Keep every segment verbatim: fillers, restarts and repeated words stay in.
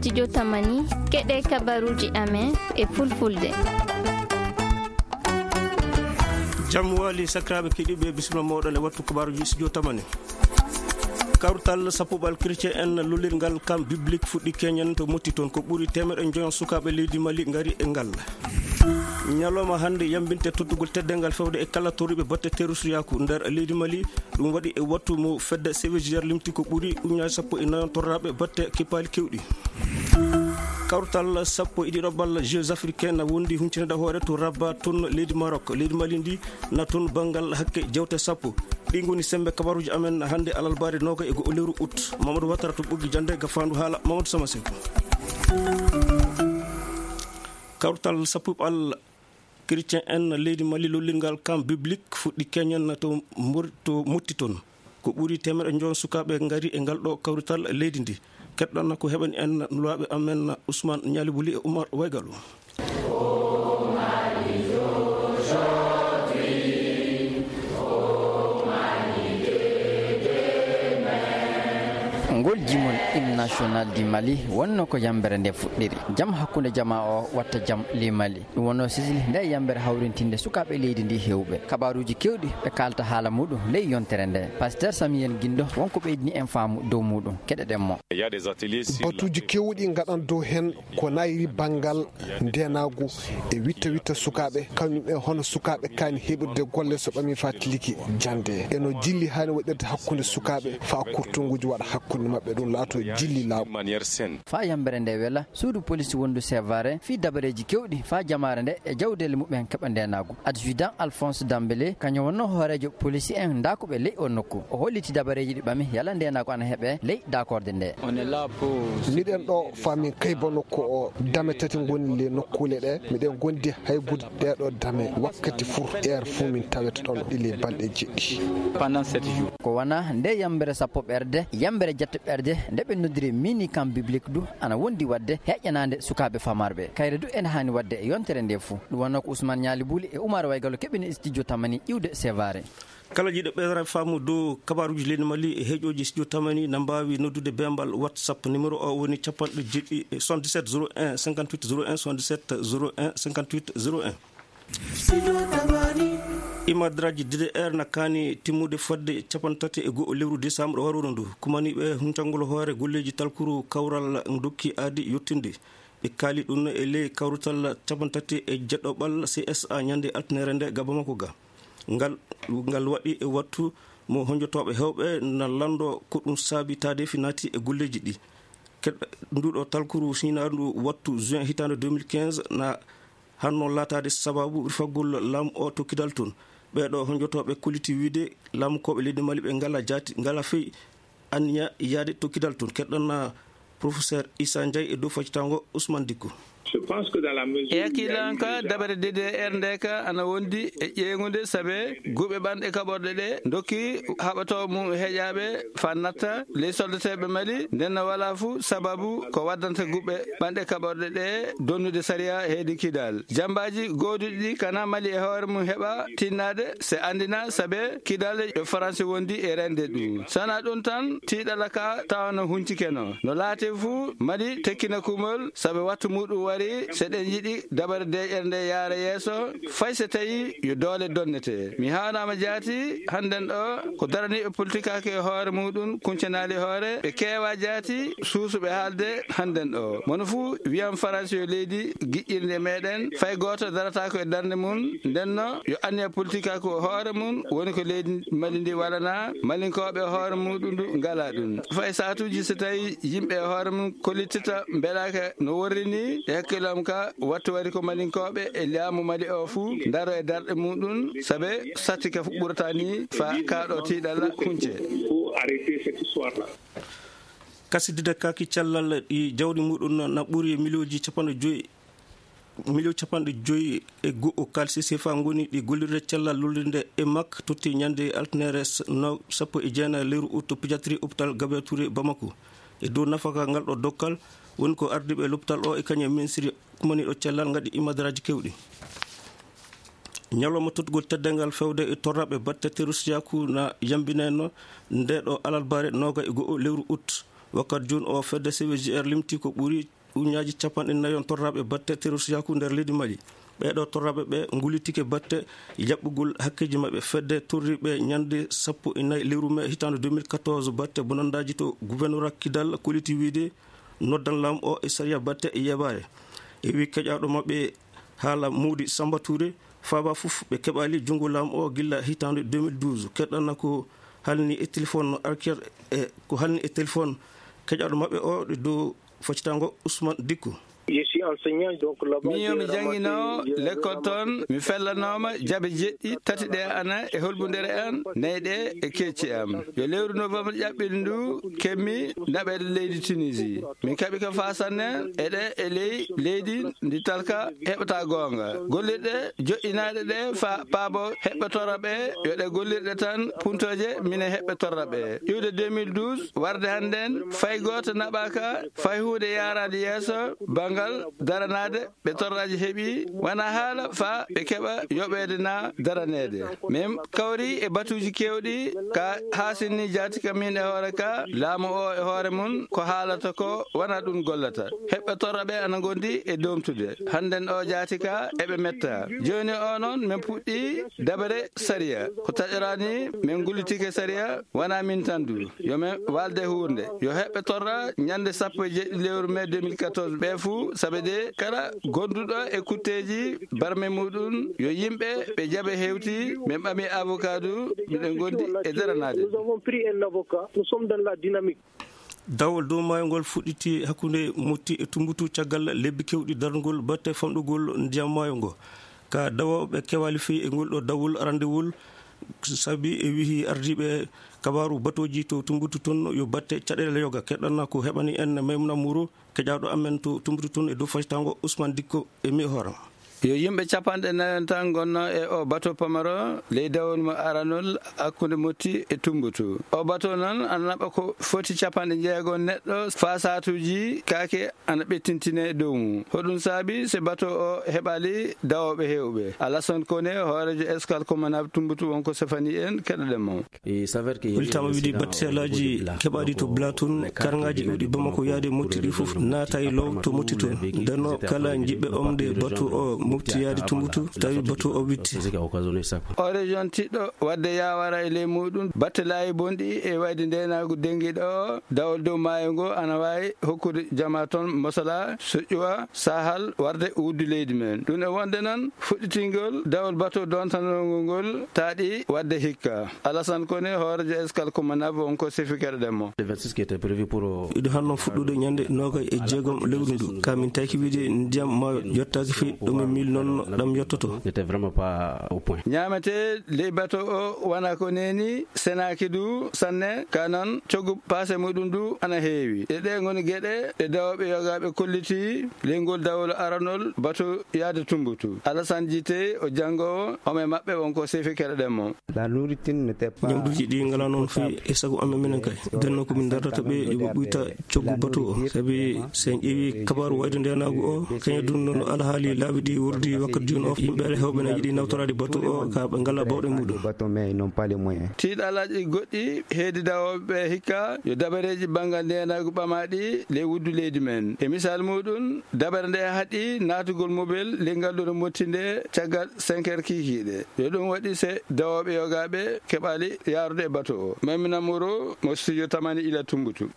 Studio Tamani, keɗe kabaruji amen e fulfulde. Jam wali sakiraaɓe keɗiiɓe, bisimilla mooɗon e wattu kabaruji Studio Tamani. Kawrital sappuɓal chrétien en lollirgal camp biblique fuɗɗi keñen to Motti toon. Ko ɓuri teemeɗe njoyon sukaaɓe leydi Mali ngari e ngal. Ñalawma hannde yambinte tottugol teddeengal fewde e kala torriiɓe batte terroristiyaaku nder leydi Mali. Ɗum waɗi e wattu mo fedde C V G R limti ko ɓuri ujunnaaje sappo e nayon torraaɓe batte kippaali keewɗi. Kawrital sappo e ɗiɗaɓal Jeux africains na wondi hunciniiɗe hoore to Rabat toon leydi Maroc. Leydi Mali ndi na toon banngal hakke jewte sappo. Ɗi ngoni semmbe kabaruuji amen hannde alarbaare noogay e go'o lewru août. Mamadou Watara to Ɓoggi Jannde, gafaandu haala Mamadou Sama Seku. Kawrital sappuɓal chrétien en leydi Mali lollirgal camp biblique fuɗɗi keñen to Mor-, to Motti toon. Ko ɓuri teemeɗe njoyon sukaaɓe ngari e ngal ɗo kawrital leydi ndi. Keɗɗon ko heɓani en nulaaɓe amen Ousmane Ñaali Buli e Oumar Waygalo. Ngol jimol hymne national du Mali wonno ko yambere nde fuɗɗiri. Jam hakkunde jamaa o watta jam ley Mali. Ɗum wonno sisli nde yambere hawrintinde sukaaɓe leydi ndi heewɓe. Kabaruuji keewɗi ɓe kaalta haala muɗum ley yontere nde. Pasteur Samuel Guindo wonko ɓeydini en faamu dow muɗum. Keɗoɗen mo. Batuuji keewɗi ngaɗan dow heen ko nayri banngal ndeenaagu e witta witta sukaaɓe, kañum e hono sukaaɓe kaani heɓirde golle so ɓami fatiliki jannde. Eno jilli haani waɗirde hakkunde sukaaɓe faa kurtunguuji waɗa hakkunde maɓɓe, ɗum laato jilli laaɓu. Faa yambere nde wela, suudu police wondu Sevare fii dabareeji keewɗi faa jamaare nde e jawdeele muɓɓen keɓa ndeenaagu. Adjudant Alphonse Dambélé, kañum wonno hooreejo police en ndaakuɓe ley o nokku. O holliti dabareeji ɗi ɓami yala ndeenaagu ana heɓe ley daakorde nde. Miɗen ɗo faa min kaybano ko o dame tati ngoni ley nokkuule ɗe. Miɗen ngondi haybude ɗee ɗoo dame wakkati fuu, heure fuu min tawete ɗoon ɗi ley balɗe jeɗɗi. Ko wona nde yambere sappo ɓerde, yambere jette ɓerde, nde ɓe noddiri mini camp biblique du, ana wondi waɗde heƴƴanaande sukaaɓe famarɓe. Kayre du ene haani waɗde e yontere nde fuu. Ɗum wonno ko Ousmane Ñaali Buli e Oumar Waygalo keɓini studio Tamani iwde Sevare. Kala jiɗo ɓeydaade faamu dow kabaruuji leydi Mali e heɗiiɓe studio Tamani na mbaawi noddude beembal WhatsApp. Numéro o woni capanɗe jeɗɗi, soixante-dix-sept zéro un cinquante-huit zéro un, soixante-dix-sept zéro un cinquante-huit zéro un. Imadraji D D R na kaani timmude fodde capanɗe tati e go'o lewru décembre waroru ndu. Kumaniiɓe huncangol hoore golleeji talkuru kawral ndokki aadi yottinde. Ɓe kaali ɗum e ley kawrital capanɗe tati e jeɗɗoɓal C S A ñande altine nde ga Bamako ga. Ngal, ngal waɗi e wattu mo honjotooɓe heewɓe na lanndo ko ɗum saabi taadeefi naati e golleeji ɗi. Keɗ-, nduɗo talkuru siñaandu wattu juin hitaande deux mille quinze na hanno laataade sababu rifagol laamu o to Kidal toon. Ɓeeɗo honjotooɓe kolliti wiide laamukooɓe leydi Mali ɓe ngalaa jaati, ngalaa fey anniya yaade to Kidal toon. Keɗɗon na Professeur Issa Ndiaye e dow faccitaango Ousmane Dicko. E hakkille an ka, dabare D D R nde ka ana wondi e ƴeeŋude, sabe guɓe ɓanɗe kaɓorɗe ɗe ndokki haɓatooɓe mum heƴaaɓe faa natta ley soldateeɓe Mali, nden no walaa fuu sababu ko waddanta guɓe ɓanɗe kaɓorɗe ɗe donnude sariya heedi Kidal. Jambaaji gooduɗi ɗi kana Mali e hoore mum heɓa tinnaade se anndina, sabe Kidal yo Faransi wondi e rende ɗum. Sana ɗum tan, tiiɗalla ka tawa no huncike no. No laati fuu, Mali tekkina kumol, sabe wattu muɗum wari, se ɗen yiɗi dabare deeƴere nde yaara yeeso, fay se tawi yo doole donnete. Mi haanaama jaati, hannden ɗo, ko daraniiɓe politikaaku e hoore muɗum kuncanaali hoore, ɓe keewaa jaati, suusuɓe haalde hannden ɗo. Mono fuu wiyan Faransi yo leydi giƴƴirndi e meɗen, fay gooto darataako e darnde mum, ndenno yo anniya politikaaku hoore mum, woni ko leydi Mali ndi walanaa, Malinkooɓe hoore muɗum du ngalaa ɗum. Fay saatuuji so tawi yimɓe e hoore mum kollitita mbelaaka no worri ni, e hakkille am ka, wattu wari ko Malinkooɓe e laamu Mali o fuu ndaro e darɗe muɗum, sabe satti ka fu ɓurata ni faa kaa ɗo tiiɗalla hunce. Kasidide kaaki cellal ɗi jawdi muɗum na ɓuri miliyonji capanɗe joyi, miliyon capanɗe joyi e go'o kaalisi sefa ngoni ɗi gollirde cellal lollirde e mak totti ñande altine s-, no sappo e jeenayi lewru ut to pédiatrie hôpital Gabriel Touré Bamako. E dow nafaka ngal ɗo dokkal woni ko ardiiɓe lopital o e kañum e ministre kumaniiɗo cellal ngaɗi imadaraaji keewɗi. Ñalawma tottugol teddeengal fewde e torraɓe batte terroristiyaaku na yambinayno nde ɗo alarbaare nooga e go'o lewru ut. Wakkati jooni o fedde C V G R limti ko ɓuri ujunnaaji capanɗe nayon torraaɓe batte terroristiyaaku nder leydi Mali. Ɓee ɗoo torraaɓe ɓe ngullitike batte jaɓɓugol hakkeeji maɓɓe. Fedde torri ɓe ñande sappo e nayi lewru mee hitaande deux mille quatorze batte bonandaaji to gouverneur Kidal kolliti wiyde noddan laamu o e sariya batte e yeebaare. E wi keƴaaɗo maɓɓe haala Mody Samba Touré, faaba fof ɓe keɓaali junngo laamu o gilla hitaande deux mille douze. Keɗɗana ko halni e téléphone arker e ko halni e téléphone keƴaaɗo maɓɓe o e dow faccitango Ousmane Dicko. Je suis enseignant, donc là-bas, min yo mi jannginoowo lekkol toon, mi fellanooma jabe jeɗɗi, tati ɗe ana e holɓundere an, nayi ɗe e keeci am. Yo lewru novembre ƴaɓɓiɗo ndu kemmi naɓeede leydi Tunisie. Min kaɓi ka faasanne eɗe e ley leydi ndi talka heɓata goonga. Gollirɗe joƴƴinaaɗe ɗe fa paabo heɓɓe torra ɓe, yo ɗe gollirɗe tan puntooje mine heɓɓe torra ɓe. Iwde deux mille douze, warde hannden, fay gooto naɓaaka, fay huunde yaaraade yeeso, banngal daranaade, ɓe torraaji heɓi, wona haala fa ɓe keɓa yoɓeede na daraneede. Min kawri e batuuji keewɗi, ka haasinni jaati ka min e hoore ka, laamu o e hoore mum, ko haalata ko wona ɗum gollata. Heɓɓe torra ɓe ana ngondi e doomtude. Hannden o jaati ka eɓe metta. Jooni o noon, min puɗɗi dabere sariya. Ko taƴoraani, min ngullitike sariya, wona min tan du. Yo min walde huunde. Yo heɓɓe torra ñande sappo e jeeɗiɗi lewru mee deux mille quatorze ɓe fuu, sabe de kala gonduɗo e kutteeji barme muɗum, yo yimɓe ɓe jaɓe hewti, min ɓami avocat du, miɗen gondi e daranaade. Nous avons pris un avocat, nous sommes dans la dynamique. Dawol dow maayo ngol fuɗɗiti hakkunde Motti e Tumbutu caggal lebbi kewɗi darnugol batte famɗugol ndiyam maayo ngo. Ka dawooɓe kewaali fii e ngol ɗo dawol arandewol, sabi e wihi ardiiɓe kabaaru batooji to Tumbutu toon yo batte caɗeele yoga. Keɗɗana ko heɓani en Maymuna Muro, keƴaaɗo amen to Tumbutu toon e dow facitango Ousmane Dicko e mi hooram. Yo yimɓe capanɗe nayon tan ngonno e o bato pamaro ley dawol mo aranol hakkunde Motti e Tumbutu. O bato noon ana naɓa ko foti capanɗe jeego neɗɗo, faa saatuuji kaake ana ɓettintine dow mum. Hoɗum saabi se bato o heɓali dawooɓe heewɓe? Alassane Koné, hooreejo Escale Comanave Tumbutu, wonko sefani en, keɗoɗen mo. Hollitaama wiide battelaaji keɓaaɗi to Bla toon, karngaaji iwɗi Bamako yaade Motti ɗi fof naata e low to Motti toon. Nden o kala jiɓɓe omde bato o Motti yaade Tumbutu, tawi bato o witti. O région tiɗɗo wadde yaawara e ley muɗum, battelaaji bonɗi e wayde ndeenaagu denngiiɗo o, dawol dow maayo ngo ana waawi hokkude jama toon mosala, soƴƴuwa, sahal warde wuddu leydi men. Ɗum e wonde noon, fuɗɗitingol dawol bato dontanongol ngol taaɗi wadde hikka. Alassane Koné, hooreejo Escale Comanave, wonko sefi keɗoɗen mo. Le vingt-six qui était prévu pour, euh, Iɗo hanno fuɗɗude ñande noogay e jeegom lewru ndu. Ka min tawki wiide ndiyam maayo yottaaki fii ɗo min miilnonno ɗam yottoto. N'était vraiment pas au point. Ñaamete ley bato o wona ko neeni, senaaki du sanne, ka noon coggu paase muɗum du ana heewi. E ɗe ngoni geɗe ɗe dawooɓe yogaaɓe kolliti ley ngol dawol aranol bato yaade Tumbutu. Alassane Djité, o janngoowo, omo e maɓɓe, wonko sefi keɗoɗen mo. La nourriture n'était pas. Ñamduuji ɗi ngalaa noon fii e sago amen minen kay. Nden noon ko min dartata ɓe yo ɓe ɓuyta coggu bato o. Sabi so en ƴeewi kabaaru wayde ndeenaagu o, kañum dun noon alhaali laabi ɗi wordi wakkati jooni o, yimɓe heewɓe na yiɗi nawtoraade bato o, ka ɓe ngalaa bawɗe muɗum. Bateau, mais ils n'ont pas les moyens. Tiiɗalaaji goɗɗi heedi dawooɓe ɓe hikka yo dabareeji banngal ndeenaagu ɓamaaɗi ley wuddu leydi men. E misaal muɗum, dabare nde haɗi naatugol mobel ley ngal ɗo no motti nde caggal cinq heures kiikiiɗe. Yo ɗum waɗi se dawooɓe yogaaɓe keɓaali yaarude e bato o. Maymuna Moro mo studio Tamani ila Tumbutu.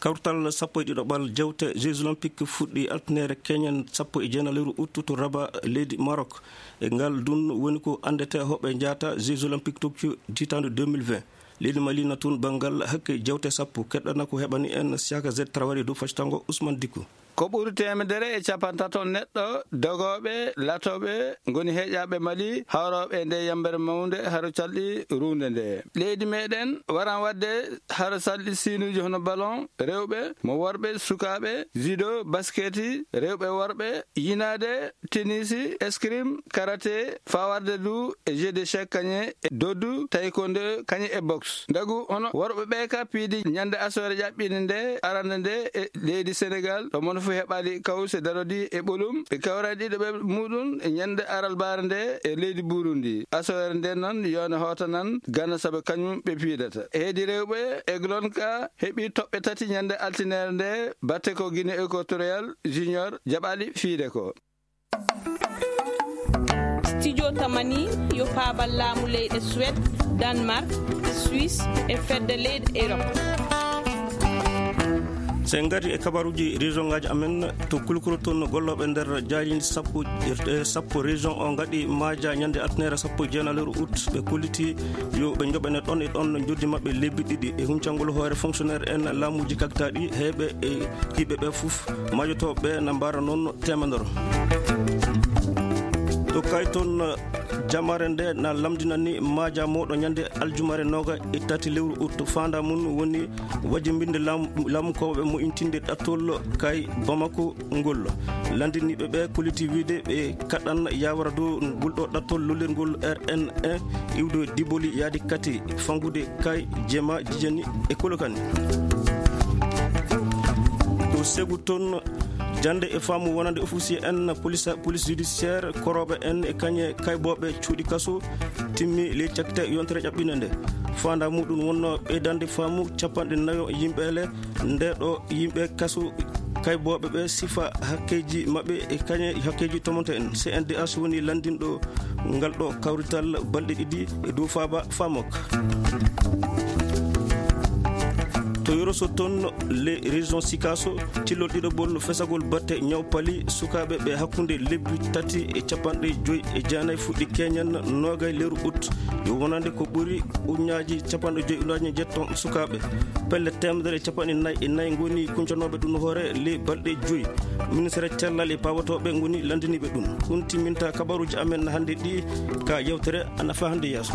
Kawtal sappo e ɗiɗaɓal jewte Jeux Olympiques fuɗɗi altinere keñen sappo e jeenaɓ lewru ut to Rabat, leydi Maroc. E ngal dun woni ko anndete hoɓe njaata Jeux Olympiques Tokyo hitaande deux mille vingt. Leydi Mali na tun banngal hakke jewte sappo. Keɗɗana ko heɓani en Siaka Z Traoré dow factango Ousmane Dicko. Ko ɓuri teemedere e capantato neɗɗo dogooɓe, latooɓe ngoni heƴaaɓe Mali, hawrooɓe e nde yambere mawnde haro calɗi ruunde nde. Leydi meɗen waran waɗde haro calɗi siinuuji hono ballon rewɓe, mo worɓe, sukaaɓe, judo, basketi, rewɓe, worɓe, yinaade, tennis, escrime, karaté, fawarde du e jeu d'échecs kañe e doddu, taekwondo kañe e boxe. Ndagu hono worɓe ɓe ka piidi ñande asoore ƴaɓɓinde nde arande nde e leydi Sénégal, ɗo mono Fof heɓaali kawse darodi e ɓolum ɓe kawra ɗiɗo ɓe muɗum e ñande aralbaare nde e leydi Burundi. Asawere nden noon yone hoota nan gana saabe kañum ɓe piidata. Heedi rewɓe eglon ka heɓi toɓɓe tati ñande altinere nde batte ko Guinée Équatoriale Junior jaɓaali fiide ko. Studio Tamani yo paabal laamu leyɗe Suède, Danemark, Suisse e fedde leyɗe Europe. So en ngartii e kabaruuji région ngaaji amen, to Kulkuro toon gollooɓe nder jaariindi sappo e sappo région o ngaɗi maaja ñande altinere sappo e jeenayi lewru août. Ɓe kollitii yo ɓe njoɓane ɗon e ɗon njoɓdi maɓɓe lebbi ɗiɗi e huncangol hoore fonctionnaire en laamuuji kaktaaɗi heeɓe e yiɓɓe ɓe fof. Maajotooɓe na mbaara noon teemedere. To kay toon jamaare nde na lamndinani maaja mooɗo ñande aljumare nooga e tati lewru août. Faandaa mum woni wajjimbinde laamu kowoɓe mo intinde ɗattol kay Bamako ngol. Lanndiniiɓe ɓe kolliti wiide ɓe kaɗan yawara dow ngol ɗo ɗattol lollirgol R N E iwde Diboli yaadi kati fangude kay Jema Jijeni e Kolokani. To Segu toon jannde e faamu wonande officier en police judiciaire korooɓe en e kañe kaybooɓe cuuɗi kaso timmi ley cakkite yontere ƴaɓɓinde nde. Faandaa muɗum wonno ɓeydande faamu capanɗe nayo yimɓe le nde ɗo yimɓe kaso kaybooɓe ɓe sifa hakkeeji maɓɓe e kañe hakkeeji tomonte en. C N D H woni lanndinɗo ngal ɗo kawrital balɗe ɗiɗi e dow faaba faamok. To Yoroso toon le région Sikaso cillol ɗiɗoɓol fesagol batte ñaw pali sukaaɓe ɓe hakkunde lebbi tati e capanɗe joyi e jeenayi fuɗɗi keñen noogay lewru août. Yo wonande ko ɓuri uñaaji capanɗe joyi uñaaji jetton sukaaɓe pelle teemedere e capanɗe nayi e nayi ngoni kuncanooɓe ɗum hoore ley balɗe joyi. Ministre cellal e paawotooɓe ngoni lanndiniiɓe ɗum. Ɗum timminta kabaruuji amen hannde ɗi ka yewtere ana fa hannde yeeso.